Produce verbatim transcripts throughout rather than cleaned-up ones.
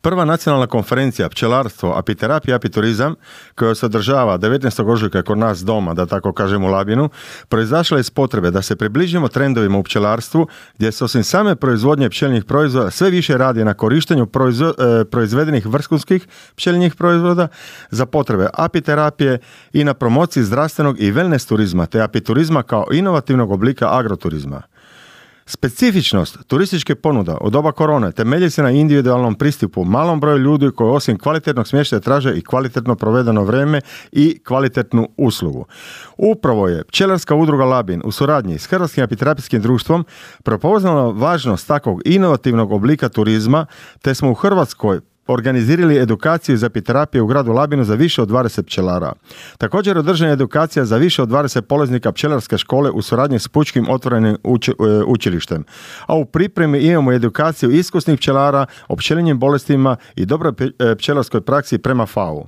Prva nacionalna konferencija Pčelarstvo, apiterapija i apiturizam, koja se održava devetnaestog ožujka kod nas doma, da tako kažem u Labinu, proizašla iz potrebe da se približimo trendovima u pčelarstvu, gdje se osim same proizvodnje pčelinjih proizvoda sve više radi na korištenju proizvo, e, proizvedenih vrhunskih pčelinjih proizvoda za potrebe apiterapije i na promociji zdravstvenog i wellness turizma, te apiturizma kao inovativnog oblika agroturizma. Specifičnost turističke ponuda u doba korone temelji se na individualnom pristupu malom broju ljudi koji osim kvalitetnog smještaja traže i kvalitetno provedeno vrijeme i kvalitetnu uslugu. Upravo je Pčelarska udruga Labin u suradnji s Hrvatskim apiterapijskim društvom prepoznala važnost takvog inovativnog oblika turizma, te smo u Hrvatskoj organizirali edukaciju za apiterapiju u gradu Labinu za više od dvadeset pčelara. Također održana je edukacija za više od dvadeset polaznika pčelarske škole u suradnji s Pučkim otvorenim uči, učilištem. A u pripremi imamo edukaciju iskusnih pčelara o pčelinjim bolestima i dobroj pčelarskoj praksi prema F A O-u.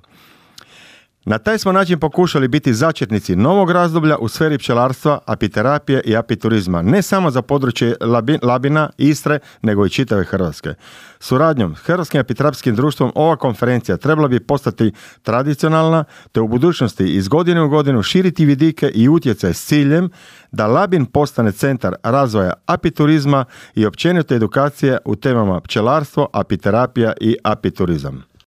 Na taj smo način pokušali biti začetnici novog razdoblja u sferi pčelarstva, apiterapije i apiturizma, ne samo za područje Labina, Istre, nego i čitave Hrvatske. Suradnjom s Hrvatskim apiterapijskim društvom ova konferencija trebala bi postati tradicionalna, te u budućnosti iz godine u godinu širiti vidike i utjecaj s ciljem da Labin postane centar razvoja apiturizma i općenito edukacije u temama pčelarstvo, apiterapija i apiturizam.